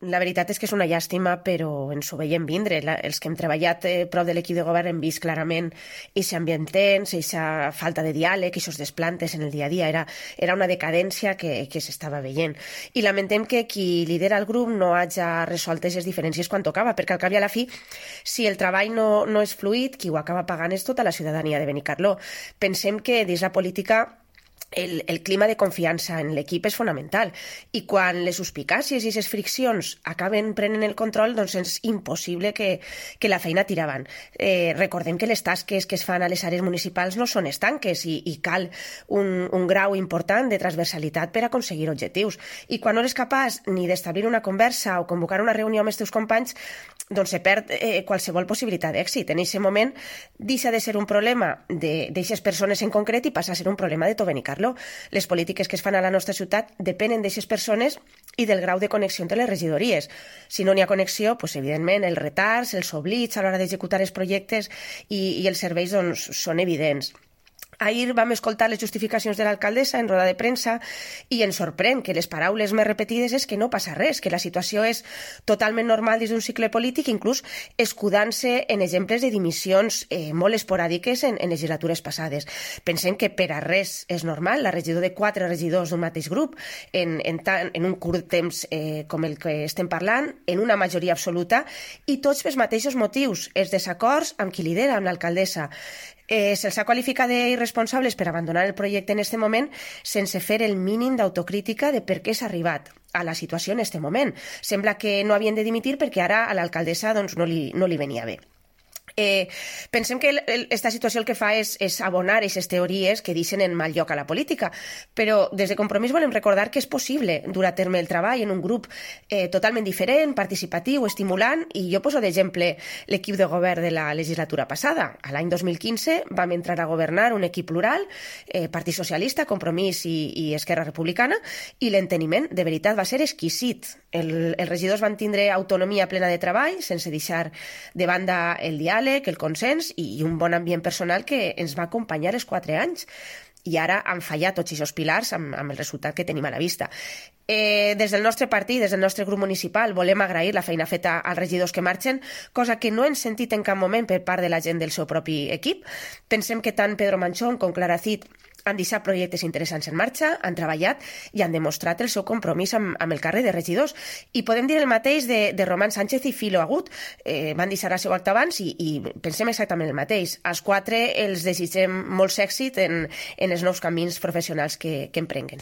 La veritat és que és una llàstima, però ens ho veiem vindre. Els que hem treballat prop de l'equip de govern hem vist clarament aquest ambient tens, aquesta falta de diàleg, aquests desplantes en el dia a dia. Era una decadència que s'estava veient. I lamentem que qui lidera el grup no hagi resolt aquestes diferències quan tocava, perquè al cap i a la fi, si el treball no és fluid, qui ho acaba pagant és tota la ciutadania de Benicarló. Pensem que dins la política el clima de confiança en l'equip és fonamental i quan les suspicàcies i les friccions acaben prenent el control, doncs és impossible que la feina tiri avant. Recordem que les tasques que es fan a les àrees municipals no són estanques i cal un grau important de transversalitat per aconseguir objectius. I quan no eres capaç ni d'establir una conversa o convocar una reunió amb els teus companys, doncs se perd qualsevol possibilitat d'èxit. En aquest moment deixa de ser un problema d'aquestes persones en concret i passa a ser un problema de tot Benicarló. Les polítiques que es fan a la nostra ciutat depenen d'aquestes persones i del grau de connexió entre les regidories. Si no n'hi ha connexió, doncs, evidentment, els retards, els oblits a l'hora d'executar els projectes i els serveis doncs, són evidents. Ahir vam escoltar les justificacions de l'alcaldessa en roda de premsa i ens sorprèn que les paraules més repetides és que no passa res, que la situació és totalment normal dins d'un cicle polític, inclús escudant-se en exemples de dimissions molt esporàdiques en legislatures passades. Pensem que per a res és normal la regidor de 4 regidors d'un mateix grup en un curt temps com el que estem parlant, en una majoria absoluta i tots pels mateixos motius, els desacords amb qui lidera, amb l'alcaldessa. Se'ls ha qualificat d'irresponsables per abandonar el projecte en aquest moment sense fer el mínim d'autocrítica de per què s'ha arribat a la situació en aquest moment. Sembla que no havien de dimitir perquè ara a l'alcaldessa doncs, no li venia bé. Pensem que aquesta situació el que fa és abonar aquestes teories que deixen en mal lloc a la política, però des de Compromís volem recordar que és possible dur a terme el treball en un grup totalment diferent, participatiu, estimulant, i jo poso d'exemple l'equip de govern de la legislatura passada. A l'any 2015 vam entrar a governar un equip plural, Partit Socialista, Compromís i Esquerra Republicana, i l'enteniment de veritat va ser exquisit. Els regidors van tindre autonomia plena de treball, sense deixar de banda el diàleg, el consens i un bon ambient personal que ens va acompanyar els 4 anys. I ara han fallat tots aquests pilars amb el resultat que tenim a la vista. Des del nostre partit, des del nostre grup municipal, volem agrair la feina feta als regidors que marxen, cosa que no hem sentit en cap moment per part de la gent del seu propi equip. Pensem que tant Pedro Manchón com Clara Cid han deixat projectes interessants en marxa, han treballat i han demostrat el seu compromís amb el càrrec de regidors. I podem dir el mateix de Román Sánchez i Filo Agut. Van deixar el seu acte abans i pensem exactament el mateix. Als 4 els desitgem molt èxit en els nous camins professionals que emprenguen.